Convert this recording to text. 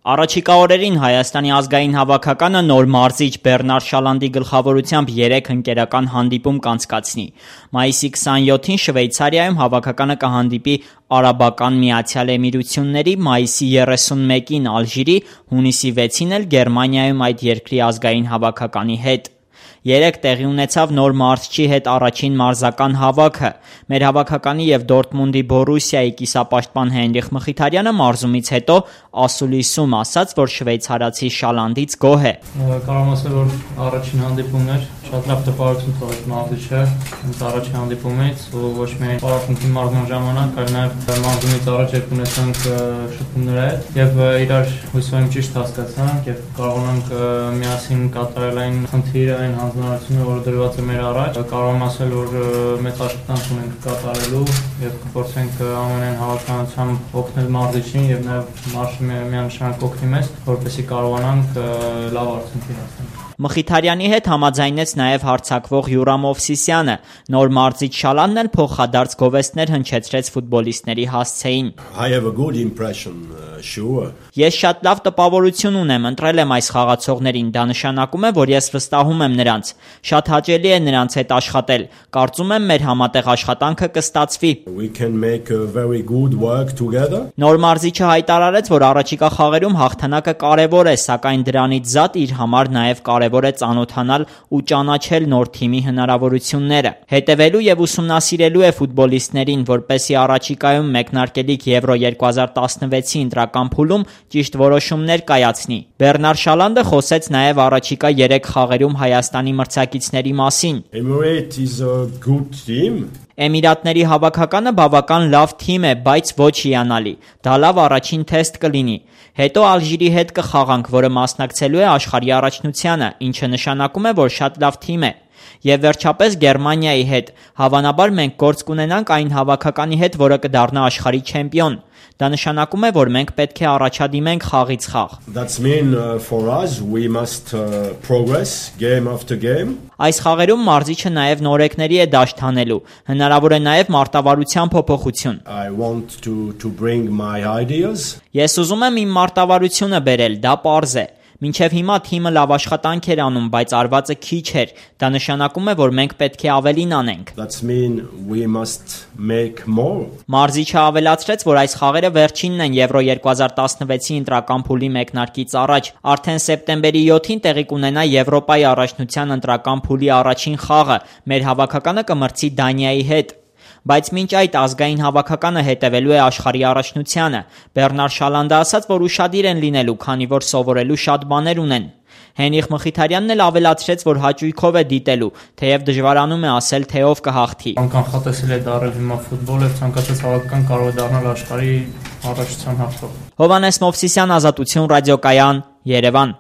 Առաջիկա օրերին Հայաստանի ազգային հավաքականը նոր մարզիչ Բեռնար Շալանդի գլխավորությամբ 3 ընկերական հանդիպում կանցկացնի։ Մայիսի 27-ին Շվեյցարիայում հավաքականը կհանդիպի Արաբական Միացյալ Էմիրությունների, մայիսի 31-ին Ալժիրի, հունիսի 6-ին էլ Գերմանիայում այդ երկրի ազգային հավաքականի հետ։ 3 տեղի ունեցավ նոր մարզչի հետ առաջին մարզական հավաքը։ Մեր հավաքականի եւ Դորտմունդի Բորուսիայի կիսապաշտպան Հենրիխ Մխիթարյանը մարզումից հետո ասուլիսում ասաց, որ շվեյցարացի Շալանդից գոհ է։ Կարող եմ ասել, որ առաջին հանդիպումն էր, շատ լավ տպավորություն թողեց մարզիչը հենց առաջին հանդիպումից, ու ոչ միայն պարապմունքի մարզման ժամանակ, այլ նաեւ մարզումից առաջ երբ ունեցանք շփումներ հետ եւ իրար հույսով եմ ճիշտ հասկացանք եւ կարողանանք միասին կատարել այն խնդիրը, այն հանձնարարությունը, որը դրված է մեր առաջ, կարող եմ ասել, որ մեծ աշխատանք ունենք կատարելու եւ կփորձենք ամենայն հավանականությամբ օգնել մարզիչին եւ նաեւ մարզը միանշանակ օգնի մեզ, որպեսզի կարողանանք լավ արդյունքի հասնել։ Մխիթարյանի հետ համաձայնեց նաև հարձակվող Յուրամ Օվսիսյանը։ Նոր մարզիչ Շալանդն էլ փոխադարձ գովեստներ հնչեցրեց ֆուտբոլիստների հասցեին։ Ես շատ լավ տպավորություն ունեմ, ընտրել եմ այս խաղացողներին, դա նշանակում է, որ ես վստահում եմ նրանց։ Շատ հաճելի է նրանց հետ աշխատել։ Կարծում եմ մեր համատեղ աշխատանքը կստացվի։ Նոր մարզիչը հայտարարեց, որ առաջիկա խաղերում հաղթանակը կարևոր է, սակայն դրանից զատ իր համար նաև կարևոր է ծանոթանալ ու ճանաչել նոր թիմի հնարավորությունները։ Հետևելու եւ ուսումնասիրելու է ֆուտբոլիստներին, որպեսզի առաջիկայում մեկնարկելիք Եվրո 2016-ի ընտրական փուլում ճիշտ որոշումներ կայացնի։ Բեռնար Շալանդը խոսեց նաև առաջիկա 3 խաղերում Հայաստանի մրցակիցների մասին։ Էմիրատների հավաքականը բավական լավ թիմ է, բայց ոչ հիանալի։ Դա լավ առաջին թեստ կլինի։ Հետո Ալժիրի հետ կխաղանք, որը մասնակցելու է աշխարհի առաջնությանը, ինչը նշանակում է, որ շատ լավ թիմ է։ Եվ վերջապես Գերմանիայի հետ։ Հավանաբար մենք գործ կունենանք այն հավաքականի հետ, որը կդառնա աշխարհի չեմպիոն։ Դա նշանակում է, որ մենք պետք է առաջադիմենք խաղից խաղ։ Այս խաղերում մարզիչը նաև նորեկների է դաշտ հանելու։ Հնարավոր է նաև մարտավարության փոփոխություն։ Ես ուզում եմ իմ մարտավարությունը բերել, դա պարզ է։ Մինչև հիմա թիմը լավ աշխատանք էր անում, բայց արվածը քիչ էր։ Դա նշանակում է, որ մենք պետք է ավելին անենք։ Մարզիչը ավելացրեց, որ այս խաղերը վերջինն են Եվրո 2016-ի ընտրական փուլի մեկնարկից առաջ։ Արդեն սեպտեմբերի 7-ին տեղի կունենա Եվրոպայի առաջնության ընտրական փուլի առաջին խաղը։ Մեր հավաքականը կմրցի Դանիայի հետ։ Բայց մինչ այդ ազգային հավաքականը հետևելու է աշխարհի առաջնությանը։ Բեռնար Շալանդը ասաց, որ ուշադիր են լինելու, քանի որ սովորելու շատ բաներ ունեն։ Հենրիխ Մխիթարյանն էլ ավելացրեց, որ հաճույքով է դիտելու, թեև դժվարանում է ասել, թե ով կհաղթի։ Կանխատեսել է դառել հիմա ֆուտբոլը, ցանկացած հավաքական կարող է դառնալ աշխարհի առաջնության հաղթող։ Հովհաննես Մովսիսյան, Ազատություն ռադիոկայան, Երևան։